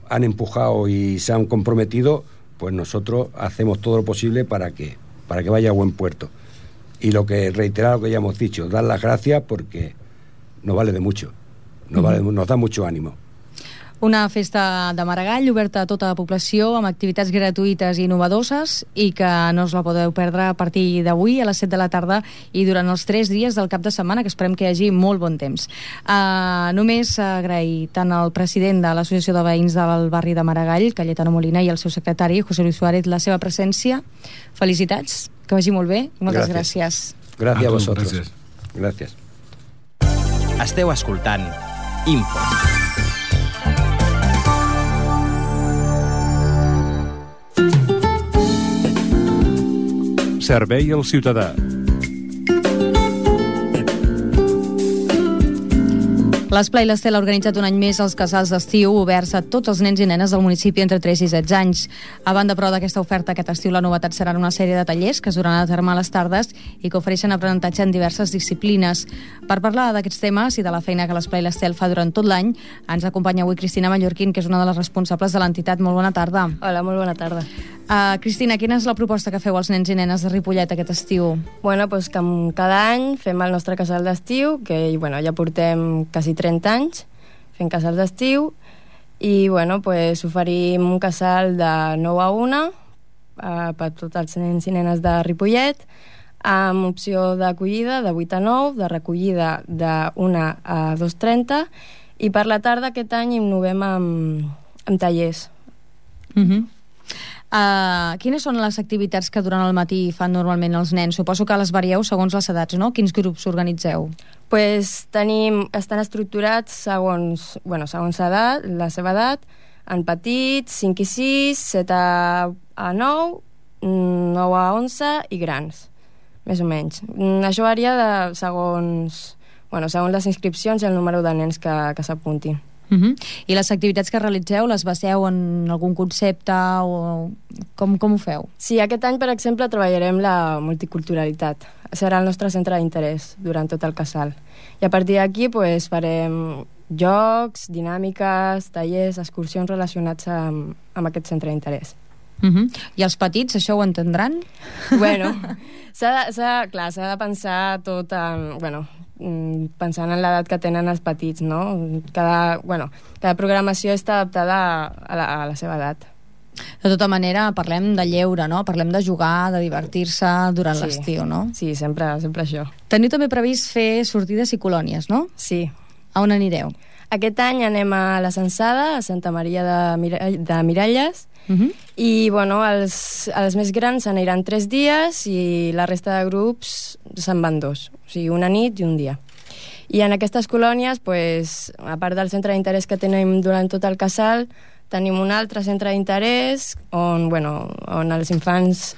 han empujado y se han comprometido, pues nosotros hacemos todo lo posible para que, para que vaya a buen puerto. Y lo que reiterar lo que ya hemos dicho, dar las gracias porque nos vale de mucho, nos, vale, nos da mucho ánimo. Una festa de Maragall oberta a tota la població amb activitats gratuïtes i innovadores i que no us la podeu perdre a partir d'avui a les set de la tarda i durant els tres dies del cap de setmana, que esperem que hi hagi molt bon temps. Uh, només agrair tant al president de l'Associació de Veïns del barri de Maragall, Cayetano Molina, i el seu secretari, José Luis Suárez, la seva presència. Felicitats, que vagi molt bé i moltes gràcies. Gràcies a vosaltres. Gràcies. Esteu escoltant Info. Servei al ciutadà. L'Esplai l'Estel ha organitzat un any més els casals d'estiu oberts a tots els nens i nenes del municipi entre tres i setze anys. A banda, però, d'aquesta oferta, aquest estiu la novetat seran una sèrie de tallers que es duran a terme a les tardes i que ofereixen aprenentatge en diverses disciplines. Per parlar d'aquests temes i de la feina que l'Esplai l'Estel fa durant tot l'any, ens acompanya avui Cristina Mallorquín, que és una de les responsables de l'entitat. Molt bona tarda. Hola, molt bona tarda. Uh, Cristina, quina és la proposta que feu als nens i nenes de Ripollet aquest estiu? Bueno, doncs que cada any fem el nostre casal d'estiu, que bueno, ja portem quasi trenta anys fent casals d'estiu, i bueno, pues, oferim un casal de nou a una uh, per tots els nens i nenes de Ripollet, amb opció d'acollida de vuit a nou, de recollida de una a dos trenta, i per la tarda aquest any innovem amb, amb tallers. Mhm. Uh, Uh, quines són les activitats que durant el matí fan normalment els nens? Suposo que les varieu segons les edats, no? Quins grups organitzeu? Pues tenim, estan estructurats segons, bueno, segons edat, la seva edat, en petits, cinc i sis, set a nou, nou a onze i grans, més o menys. Això varia de, segons, bueno, segons les inscripcions i el número de nens que, que s'apuntin. Uh-huh. I les activitats que realitzeu les baseu en algun concepte o com, com ho feu? Sí, aquest any, per exemple, treballarem la multiculturalitat. Serà el nostre centre d'interès durant tot el casal. I a partir d'aquí pues, farem jocs, dinàmiques, tallers, excursions relacionats amb, amb aquest centre d'interès. Uh-huh. I els petits, això ho entendran? Bueno, s'ha de, s'ha, clar, s'ha de pensar tot en... Bueno, pensant en l'edat que tenen els petits, no? Cada, bueno, cada programació està adaptada a la, a la seva edat. De tota manera, parlem de lleure, no? Parlem de jugar, de divertir-se durant sí. l'estiu, no? Sí, sempre, sempre això. Teniu també previst fer sortides i colònies, no? Sí. A on anireu? Aquest any anem a la Censada, a Santa Maria de, Mira de Miralles, uh-huh. i bueno, els, els més grans aniran tres dies i la resta de grups se'n van dos, o sigui, una nit i un dia. I en aquestes colònies, pues, a part del centre d'interès que tenim durant tot el casal, tenim un altre centre d'interès on, bueno, on els infants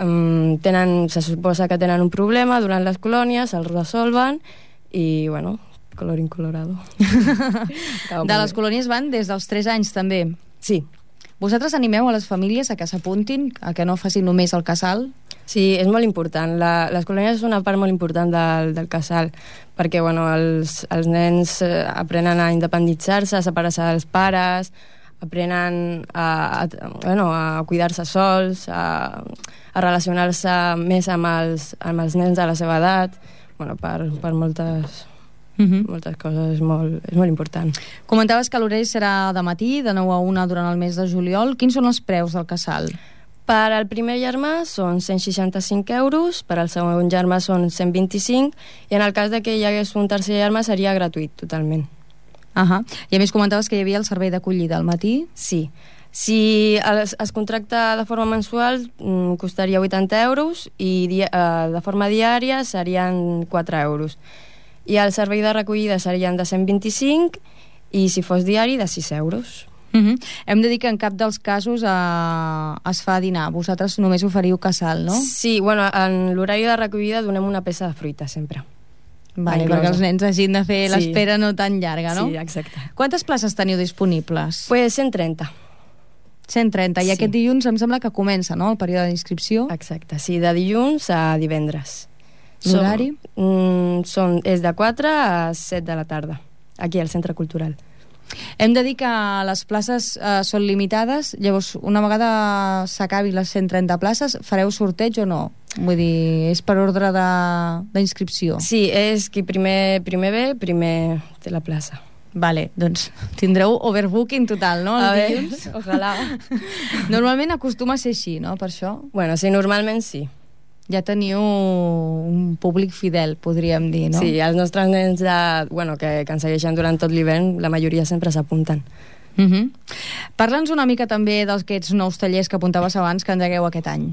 um, tenen, se suposa que tenen un problema durant les colònies, els resolven i, bueno, colorín colorado. De les colònies van des dels tres anys, també? Sí. Vosaltres animeu a les famílies a que s'apuntin, a que no facin només el casal? Sí, és molt important. La, les colònies és una part molt important del, del casal, perquè bueno, els, els nens aprenen a independitzar-se, a separar-se dels pares, aprenen a, a, bueno, a cuidar-se sols, a, a relacionar-se més amb els, amb els nens de la seva edat, bueno, per, per moltes... Uh-huh. moltes coses, és molt, és molt important. Comentaves que l'horari serà de matí, de nou a una durant el mes de juliol. Quins són els preus del casal? Per al primer germà són cent seixanta-cinc euros, per al segon germà són cent vint-i-cinc, i en el cas de que hi hagués un tercer germà seria gratuït, totalment. Uh-huh. I a més comentaves que hi havia el servei d'acollida al matí? Sí. Si es, es contracta de forma mensual, costaria vuitanta euros, i dia, eh, de forma diària serien quatre euros. I el servei de recollida serien de cent vint-i-cinc i si fos diari de sis euros. Uh-huh. Hem de dir que en cap dels casos eh, es fa dinar. Vosaltres només oferiu casal, no? Sí, bueno, en l'horari de recollida donem una peça de fruita sempre. Vale, perquè els nens hagin de fer sí. l'espera no tan llarga, no? Sí, exacte. Quantes places teniu disponibles? Pues cent trenta. cent trenta, i sí. Aquest dilluns em sembla que comença, no?, el període d'inscripció. Exacte, sí, de dilluns a divendres. L'horari? Mm, són, és de quatre a set de la tarda, aquí al Centre Cultural. Hem de dir que les places eh, són limitades, llavors una vegada s'acabi les cent trenta places, fareu sorteig o no? Vull dir, és per ordre d'inscripció. Sí, és qui primer, primer ve, primer té la plaça. Vale, doncs tindreu overbooking total, no? A El dilluns? Ojalà. Normalment acostuma a ser així, no? Per això? Bueno, sí, normalment sí. Ja teniu un públic fidel, podríem dir, no? Sí, els nostres nens de, bueno, que, que ens segueixen durant tot l'hivern, la majoria sempre s'apunten. Uh-huh. Parla'ns una mica també d'aquests nous tallers que apuntaves abans que engegueu aquest any.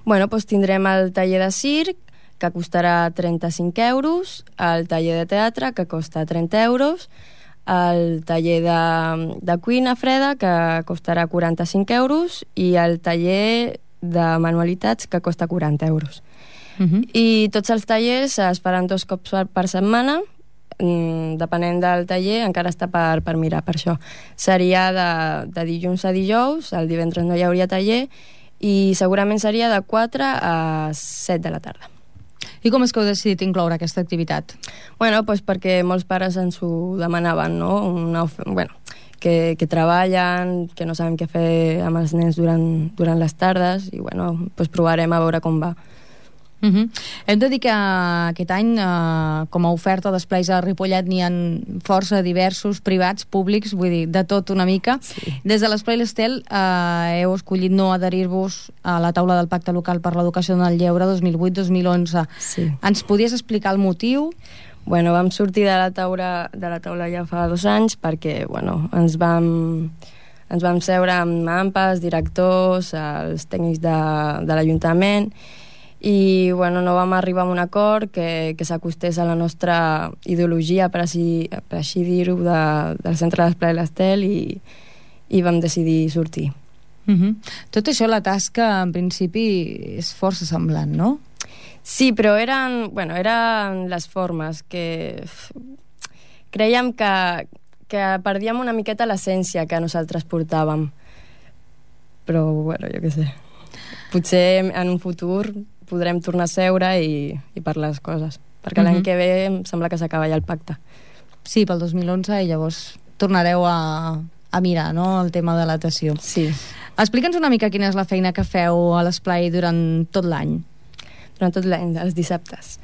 Bueno, doncs tindrem el taller de circ, que costarà trenta-cinc euros, el taller de teatre, que costa trenta euros, el taller de, de cuina freda, que costarà quaranta-cinc euros, i el taller de manualitats, que costa quaranta euros. Uh-huh. I tots els tallers es faran dos cops per setmana, depenent del taller, encara està per, per mirar per això. Seria de, de dilluns a dijous, el divendres no hi hauria taller, i segurament seria de quatre a set de la tarda. I com és que heu decidit incloure aquesta activitat? Bueno, doncs perquè molts pares ens ho demanaven, no? Una, bueno, que, que treballen, que no sabem què fer amb els nens durant, durant les tardes, i bueno, doncs provarem a veure com va. Uh-huh. Hem de dir que aquest any eh, com a oferta d'esplais a Ripollet n'hi ha força diversos, privats, públics, vull dir, de tot una mica. Sí. Des de l'Esplai l'Estel eh, heu escollit no adherir-vos a la taula del Pacte Local per l'Educació en el Lleure dos mil vuit dos mil onze. Sí. Ens podies explicar el motiu? Bueno, vam sortir de la taula, de la taula ja fa dos anys perquè bueno, ens vam... ens vam seure amb AMPAs, directors, els tècnics de, de l'Ajuntament, i bueno, no vam arribar a un acord que, que s'acostés a la nostra ideologia, per així, per així dir-ho, de, del centre d'Esplai l'Estel, i, i vam decidir sortir. Uh-huh. Tot això, la tasca, en principi, és força semblant, no? Sí, però eren, bueno, eren les formes que creiem que, que perdíem una miqueta l'essència que nosaltres portàvem. Però, bueno, jo què sé. Potser en un futur podrem tornar a seure i, i parlar les coses, perquè l'any uh-huh. que ve em sembla que s'acaba ja el pacte. Sí, pel dos mil onze, i llavors tornareu a, a mirar, no?, el tema de l'adaptació. Sí. Explica'ns una mica quina és la feina que feu a l'Esplai durant tot l'any. Durant tot l'any, els dissabtes.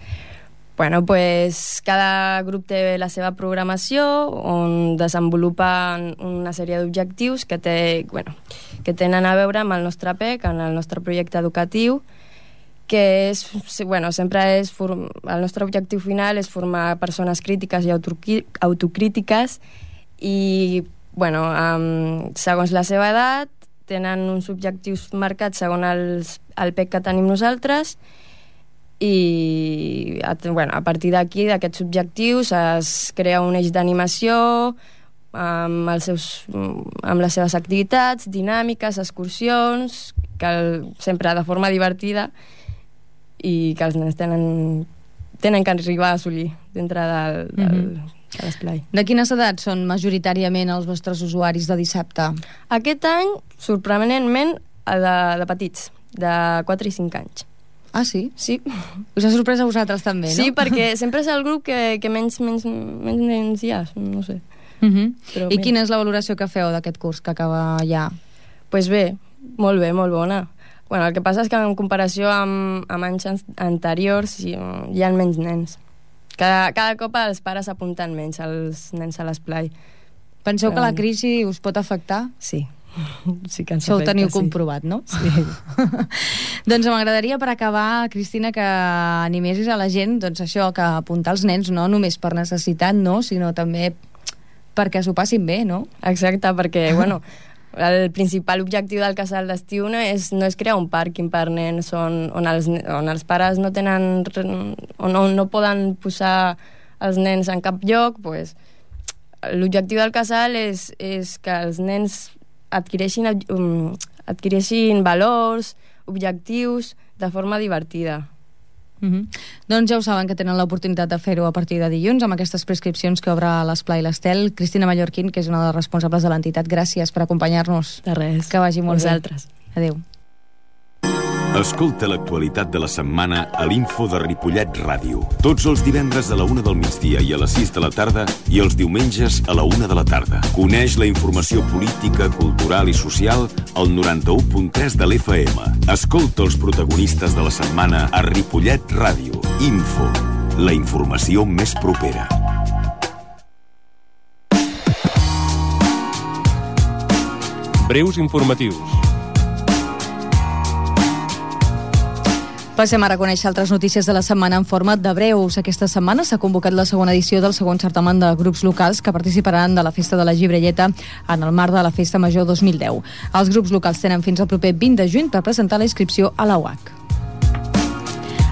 Bueno, pues cada grup té la seva programació on desenvolupen una sèrie d'objectius que, té, bueno, que tenen a veure amb el nostre P E C, en el nostre projecte educatiu, que és, bueno, sempre és form... el nostre objectiu final és formar persones crítiques i autocrítiques i, bueno, um, segons la seva edat tenen uns objectius marcats segons els, el P E C que tenim nosaltres, i bueno, a partir d'aquí, d'aquests objectius, es crea un eix d'animació amb, els seus, amb les seves activitats, dinàmiques, excursions, que el, sempre de forma divertida, i que els nens tenen, tenen que arribar a assolir dintre del, del, mm-hmm. de l'esplai. De quines edats són majoritàriament els vostres usuaris de dissabte? Aquest any, sorprenentment, de, de petits, de quatre i cinc anys. Ah, sí? Sí. Us ha sorprès a vosaltres també, no? Sí, perquè sempre és el grup que, que menys, menys, menys nens hi ha, no sé. Uh-huh. Però I bé. Quina és la valoració que feu d'aquest curs que acaba ja? Doncs pues bé, molt bé, molt bona. Bueno, el que passa és que en comparació amb, amb anys anteriors hi, hi ha menys nens. Cada, cada cop els pares apunten menys els nens a l'esplai. Penseu Però... que la crisi us pot afectar? Sí. Sí que ens això ho teniu sí. comprovat, no? Sí. Doncs m'agradaria, per acabar, Cristina, que animessis a la gent, doncs això, que apuntar els nens no només per necessitat, no, sinó també perquè s'ho passin bé, no? Exacte, perquè, bueno, el principal objectiu del casal d'estiu no és, no és crear un pàrquing per nens on, on, els, on els pares no tenen, on, on no poden posar els nens en cap lloc, pues, l'objectiu del casal és, és que els nens adquireixin, um, adquireixin valors, objectius, de forma divertida. Uh-huh. Doncs ja ho saben, que tenen l'oportunitat de fer-ho a partir de dilluns amb aquestes prescripcions que obre l'Esplai l'Estel. Cristina Mallorquín, que és una de les responsables de l'entitat, gràcies per acompanyar-nos. De res. Que vagi molt Vosaltres. bé. Adéu. Escolta l'actualitat de la setmana a l'Info de Ripollet Ràdio. Tots els divendres a la una del migdia i a les sis de la tarda i els diumenges a la una de la tarda. Coneix la informació política, cultural i social al noranta-u punt tres de l'F M. Escolta els protagonistes de la setmana a Ripollet Ràdio. Info, la informació més propera. Breus informatius. Passem ara a conèixer altres notícies de la setmana en format de breus. Aquesta setmana s'ha convocat la segona edició del segon certamen de grups locals que participaran de la Festa de la Gibrelleta en el marc de la Festa Major dos mil deu. Els grups locals tenen fins al proper vint de juny per presentar la inscripció a la U A C.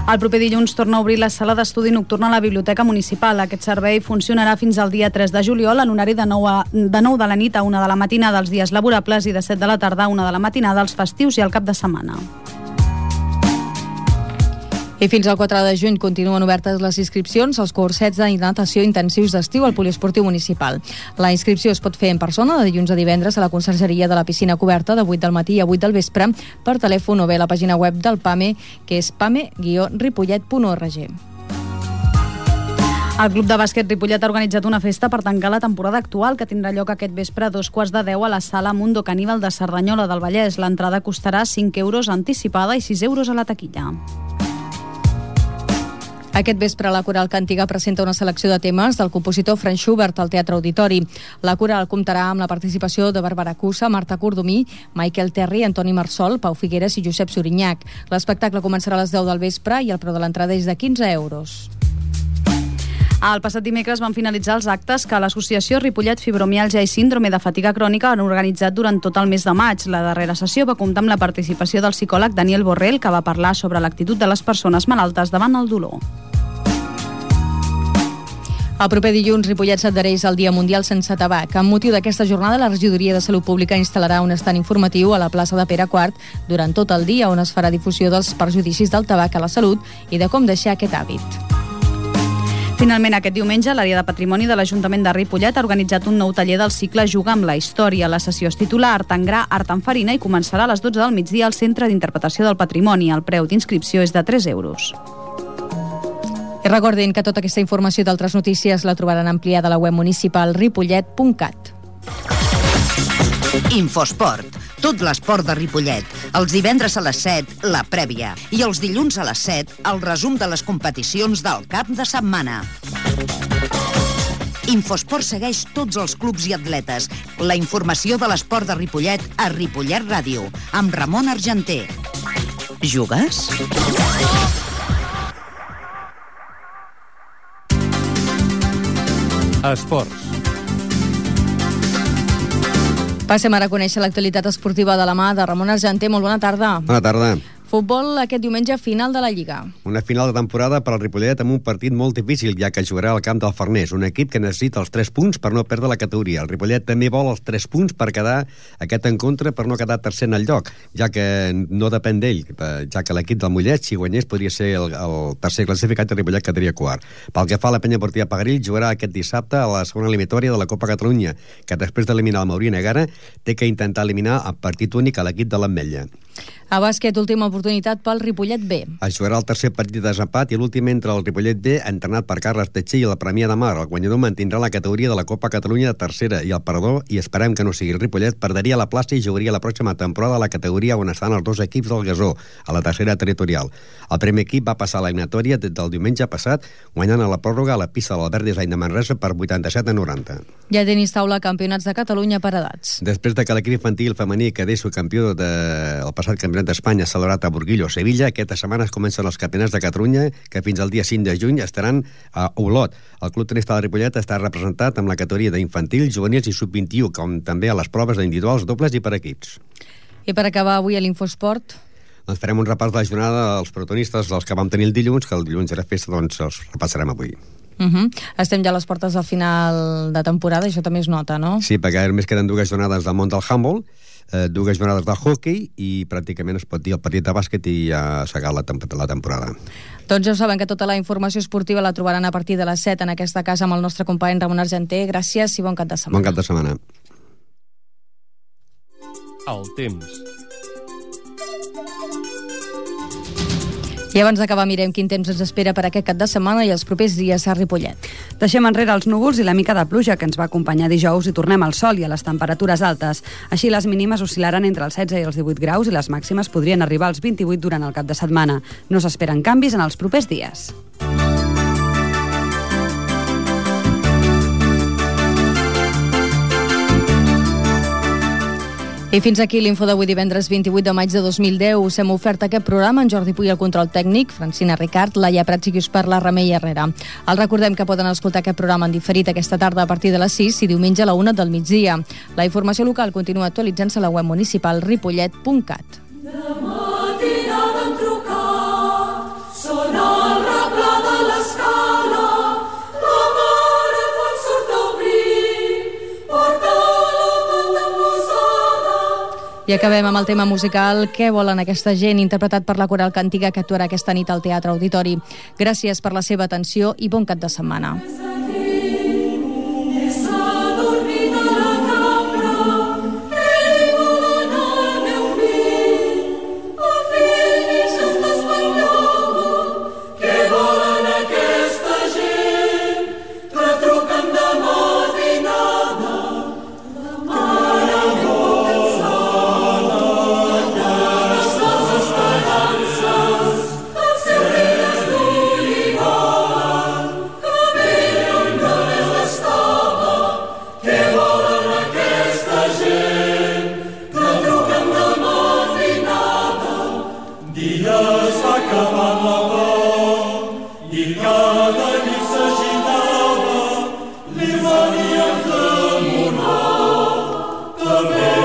El proper dilluns torna a obrir la sala d'estudi nocturna a la Biblioteca Municipal. Aquest servei funcionarà fins al dia tres de juliol en horari de nou, a, de nou de la nit a una de la matinada els dies laborables i de set de la tarda a una de la matinada els festius i el cap de setmana. I fins al quatre de juny continuen obertes les inscripcions als cursets de natació intensius d'estiu al poliesportiu municipal. La inscripció es pot fer en persona de dilluns a divendres a la consergeria de la piscina coberta de vuit del matí a vuit del vespre per telèfon o bé a la pàgina web del PAME, que és pame guió ripollet punt org. El Club de Bàsquet Ripollet ha organitzat una festa per tancar la temporada actual que tindrà lloc aquest vespre a dos quarts de deu a la sala Mundo Caníbal de Cerdanyola del Vallès. L'entrada costarà cinc euros anticipada i sis euros a la taquilla. Aquest vespre la Coral Cantiga presenta una selecció de temes del compositor Franz Schubert al Teatre Auditori. La Coral comptarà amb la participació de Bàrbara Cussa, Marta Cordomí, Michael Terry, Antoni Marsol, Pau Figueres i Josep Sorinyac. L'espectacle començarà a les deu del vespre i el preu de l'entrada és de quinze euros. El passat dimecres van finalitzar els actes que l'Associació Ripollet Fibromiàlgia i Síndrome de Fatiga Crònica han organitzat durant tot el mes de maig. La darrera sessió va comptar amb la participació del psicòleg Daniel Borrell, que va parlar sobre l'actitud de les persones malaltes davant el dolor. El proper dilluns, Ripollet s'adhereix al Dia Mundial Sense Tabac. Amb motiu d'aquesta jornada, la Regidoria de Salut Pública instal·larà un estand informatiu a la plaça de Pere quart durant tot el dia, on es farà difusió dels perjudicis del tabac a la salut i de com deixar aquest hàbit. Finalment, aquest diumenge, l'àrea de patrimoni de l'Ajuntament de Ripollet ha organitzat un nou taller del cicle Juga amb la història. La sessió es titula Art en gra, art en farina i començarà a les dotze del migdia al Centre d'Interpretació del Patrimoni. El preu d'inscripció és de tres euros. I recordin que tota aquesta informació d'altres notícies la trobaran ampliada a la web municipal ripollet punt cat. Infosport. Tot l'esport de Ripollet. Els divendres a les set, la prèvia. I els dilluns a les set, el resum de les competicions del cap de setmana. Infosport segueix tots els clubs i atletes. La informació de l'esport de Ripollet a Ripollet Ràdio, amb Ramon Argenter. Jugues? Esports. Passem ara a conèixer l'actualitat esportiva de la mà de Ramon Argenter. Molt bona tarda. Bona tarda. Futbol aquest diumenge, final de la Lliga. Una final de temporada per al Ripollet amb un partit molt difícil, ja que jugarà al camp del Farners, un equip que necessita els tres punts per no perdre la categoria. El Ripollet també vol els tres punts per quedar aquest encontre per no quedar tercer en el lloc, ja que no depèn d'ell, ja que l'equip del Mollet, si guanyés, podria ser el, el tercer classificat i el Ripollet quedaria quart. Pel que fa a la Penya Esportiva Pagarill, jugarà aquest dissabte a la segona eliminatòria de la Copa Catalunya, que després d'eliminar el Maurí Negara té que intentar eliminar el partit únic a l'equip de l'Ametlla. A bàsquet, última oportunitat pel Ripollet B. Es jugarà el tercer partit de desempat i l'últim entre el Ripollet B, entrenat per Carles Tetxer, i la Premià de Mar. El guanyador mantindrà la categoria de la Copa Catalunya de tercera i el perdedor, i esperem que no sigui el Ripollet, perderia la plaça i jugaria la pròxima temporada a la categoria on estan els dos equips del Gasó, a la tercera territorial. El primer equip va passar a l'eliminatòria des del diumenge passat, guanyant a la pròrroga a la pista de l'Albert Design de Manresa per vuitanta-set a noranta. Ja tenis taula campionats de Catalunya per edats. Després de que l'equip infantil femení quedés subcampió del passat campionat d'Espanya celebrat a Burguillo, Sevilla, aquesta setmana es comencen els campionats de Catalunya, que fins al dia cinc de juny estaran a Olot. El Club Tenista de Ripollet està representat amb la categoria d'infantil, juvenils i sub vint-i-u, com també a les proves d'individuals, dobles i per equips. I per acabar avui a l'Infosport... Doncs farem un repàs de la jornada dels protagonistes, els que vam tenir el dilluns, que el dilluns era festa, doncs els repassarem avui. Uh -huh. Estem ja a les portes del final de temporada, això també es nota, no? Sí, perquè només queden dues jornades del món del handball, eh, dues jornades de hockey i pràcticament es pot dir el partit de bàsquet i ja s'ha acabat la, temp la temporada. Doncs ja ho saben que tota la informació esportiva la trobaran a partir de les set en aquesta casa amb el nostre company Ramon Argenter. Gràcies i bon cap de setmana. Bon cap de setmana. El temps. I abans d'acabar mirem quin temps ens espera per aquest cap de setmana i els propers dies a Ripollet. Deixem enrere els núvols i la mica de pluja que ens va acompanyar dijous i tornem al sol i a les temperatures altes. Així les mínimes oscil·laran entre els setze i els divuit graus i les màximes podrien arribar als vint-i-vuit durant el cap de setmana. No s'esperen canvis en els propers dies. I fins aquí l'info d'avui divendres vint-i-vuit de maig de dos mil deu. Us hem ofert aquest programa en Jordi Puy al control tècnic, Francina Ricard, Laia Prats i qui us parla, Remei Herrera. Els recordem que poden escoltar aquest programa en diferit aquesta tarda a partir de les sis i diumenge a la una del migdia. La informació local continua actualitzant-se a la web municipal ripollet punt cat. I acabem amb el tema musical Què volen aquesta gent, interpretat per la Coral Cantiga, que actuarà aquesta nit al Teatre Auditori. Gràcies per la seva atenció i bon cap de setmana. Amen.